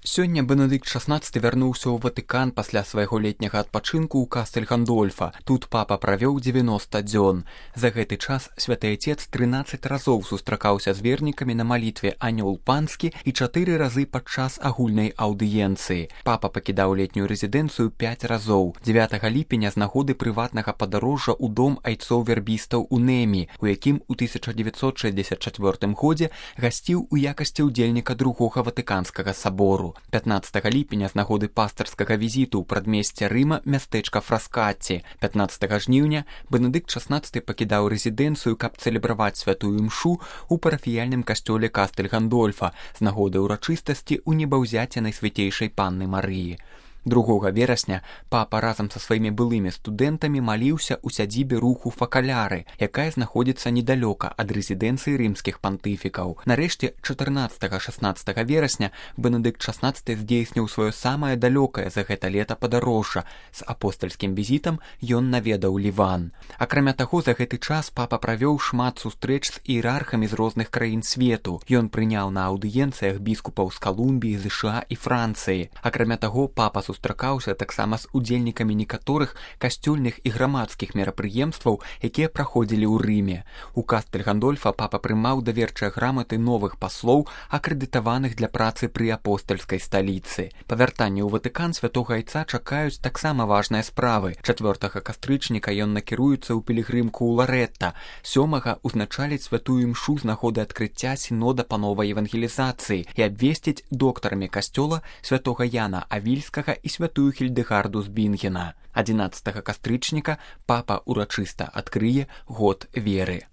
Сёння Бенедыкт XVI вярнуўся ў Ватыкан пасля свайго летняга адпачынку ў Кастэль Гандольфа. Тут папа правёў 90 дзён. За гэты час святы Отец 13 разоў сустракаўся з вернікамі на малітве «Анёл панскі» і 4 разы падчас агульнай аўдыенцыі. Папа пакідаў летнюю рэзідэнцыю 5 разоў. 9 ліпеня з нагоды прыватнага падарожжа ў дом айцоў-вербістаў у Нэмі, у якім у 1964 годзе гасціў у якасці ўдзельніка другога Ватыканскага сабору. 15 ліпеня з нагоды пастырскага візіту ў прадмесце Рыма мястэчка Фраскаці. 15 жніўня Бенедыкт XVI пакідаў рэзідэнцыю, каб цэлебраваць святую імшу ў парафіяльным касцёле Кастэль Гандольфа з нагоды ўрачыстасці ў небаўзяцце Найсвяцейшай Панны Марыі. 2 верасня папа разам са сваімі былымі студэнтамі маліўся ў сядзібе руху Факаляры, якая знаходзіцца недалёка ад рэзідэнцыі рымскіх пантыфікаў. Нарэшце, 14-16 верасня Бенедыкт XVI здзейсніў сваё самае далёкае за гэта лета падарожжа. З апостальскім візітам ён наведаў Ліван. Акрамя таго, за гэты час папа правёў шмат сустрэч з іерархамі з розных краін свету. Ён прыняў на аўдыенцыях біскупаў з Калумбіі, США і Францыі. Акрамя таго, папа сустракаўся таксама з удзельнікамі некаторых касцёльных і грамадскіх мерапрыемстваў, якія праходзілі ў Рыме. У Кастэль Гандольфа папа прымаў даверчыя граматы новых паслоў, акрэдытаваных для працы пры апостальскай сталіцы. Па вяртанні ў Ватыкан святога айца чакаюць таксама важныя справы. 4 кастрычніка ён накіруецца ў пілігрымку ў Ларэтта. 7 узначаліць святую імшу з нагоды адкрыцця сінода па новай евангелізацыі і абвесціць доктарамі касцёла святога Яна Авільскага і святую Хільдэгарду з Бінгена. 11 кастрычніка папа урачыста адкрые год веры.